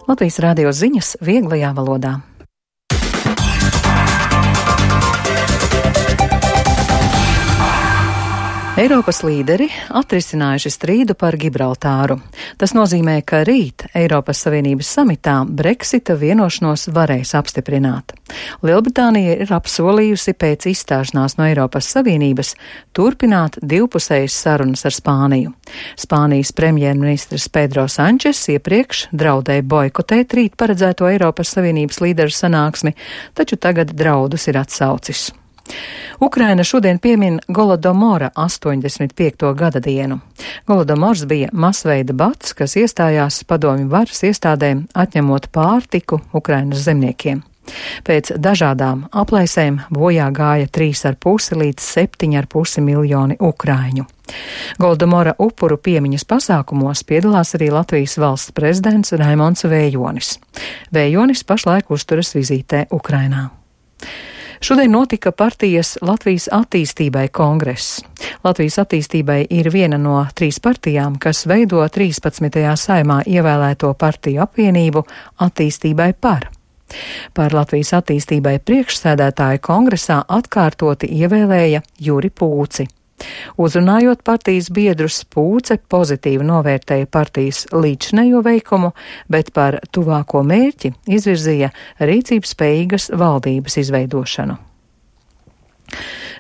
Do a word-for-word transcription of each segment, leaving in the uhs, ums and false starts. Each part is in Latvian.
Latvijas radio ziņas vieglajā valodā. Eiropas līderi atrisinājuši strīdu par Gibraltāru. Tas nozīmē, ka rīt Eiropas Savienības samitā Brexita vienošanos varēs apstiprināt. Lielbritānija ir apsolījusi pēc izstāšanās no Eiropas Savienības turpināt divpusējas sarunas ar Spāniju. Spānijas premjerministrs Pedro Sančes iepriekš draudēja boikotēt rīt paredzēto Eiropas Savienības līderu sanāksmi, taču tagad draudus ir atsaucis. Ukraina šodien piemin Golodomora astoņdesmit piekto gada dienu. Golodomors bija masveida bats, kas iestājās padomju varas iestādēm, atņemot pārtiku Ukrainas zemniekiem. Pēc dažādām aplēsēm bojā gāja trīs ar pusi līdz septiņi ar pusi miljoni ukraiņu. Golodomora upuru piemiņas pasākumos piedalās arī Latvijas valsts prezidents Raimonds Vējonis. Vējonis pašlaik uzturas vizītē Ukrainā. Šodien notika partijas Latvijas attīstībai kongress. Latvijas attīstībai ir viena no trīs partijām, kas veido trīspadsmitajā saimā ievēlēto partiju apvienību Attīstībai par. Par Latvijas attīstībai priekšsēdētāju kongresā atkārtoti ievēlēja Juri Pūci. Uzrunājot partijas biedrus, Pūce pozitīvi novērtēja partijas līdzinējo veikumu, bet par tuvāko mērķi izvirzīja rīcības spējīgas valdības izveidošanu.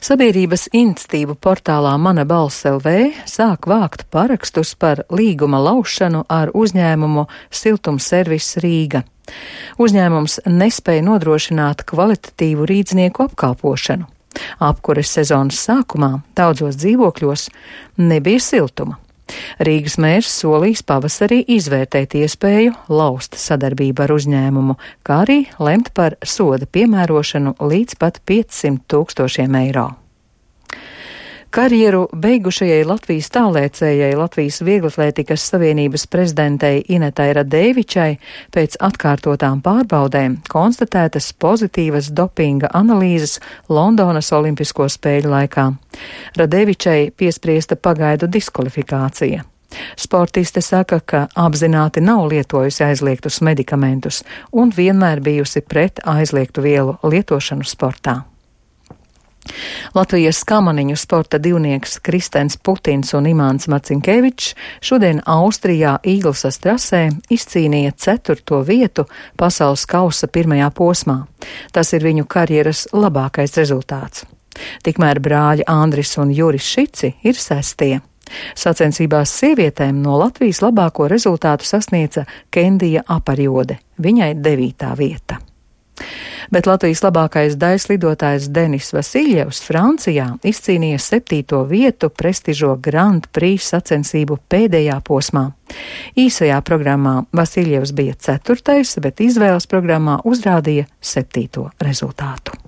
Sabiedrības iniciatīvu portālā Mana balss L V sāk vākt parakstus par līguma laušanu ar uzņēmumu Siltumservis Rīga. Uzņēmums nespēja nodrošināt kvalitatīvu rīdznieku apkalpošanu. Apkures sezonas sākumā daudzos dzīvokļos nebija siltuma. Rīgas mērs solīs pavasarī izvērtēt iespēju laust sadarbību ar uzņēmumu, kā arī lemt par soda piemērošanu līdz pat piecsimt tūkstošiem eiro. Karjeru beigušajai Latvijas tālēcējai Latvijas Vieglatlētikas Savienības prezidentei Inetai Radēvičai pēc atkārtotām pārbaudēm konstatētas pozitīvas dopinga analīzes Londonas Olimpisko spēļu laikā. Radēvičai piespriesta pagaidu diskvalifikācija. Sportiste saka, ka apzināti nav lietojusi aizliegtus medikamentus un vienmēr bijusi pret aizliegtu vielu lietošanu sportā. Latvijas kamaniņu sporta divnieks Kristens Putins un Imants Marcinkevičs šodien Austrijā Īglsas trasē izcīnīja ceturto vietu pasaules kausa pirmajā posmā. Tas ir viņu karjeras labākais rezultāts. Tikmēr brāļi Andris un Juris Šici ir sestie. Sacensībās sievietēm no Latvijas labāko rezultātu sasniedza Kendija Aparjode, viņai devītā vieta. Bet Latvijas labākais daiļslidotājs Denis Vasiljevs Francijā izcīnīja septīto vietu prestižo Grand Prix sacensību pēdējā posmā. Īsajā programmā Vasiljevs bija ceturtais, bet izvēles programmā uzrādīja septīto rezultātu.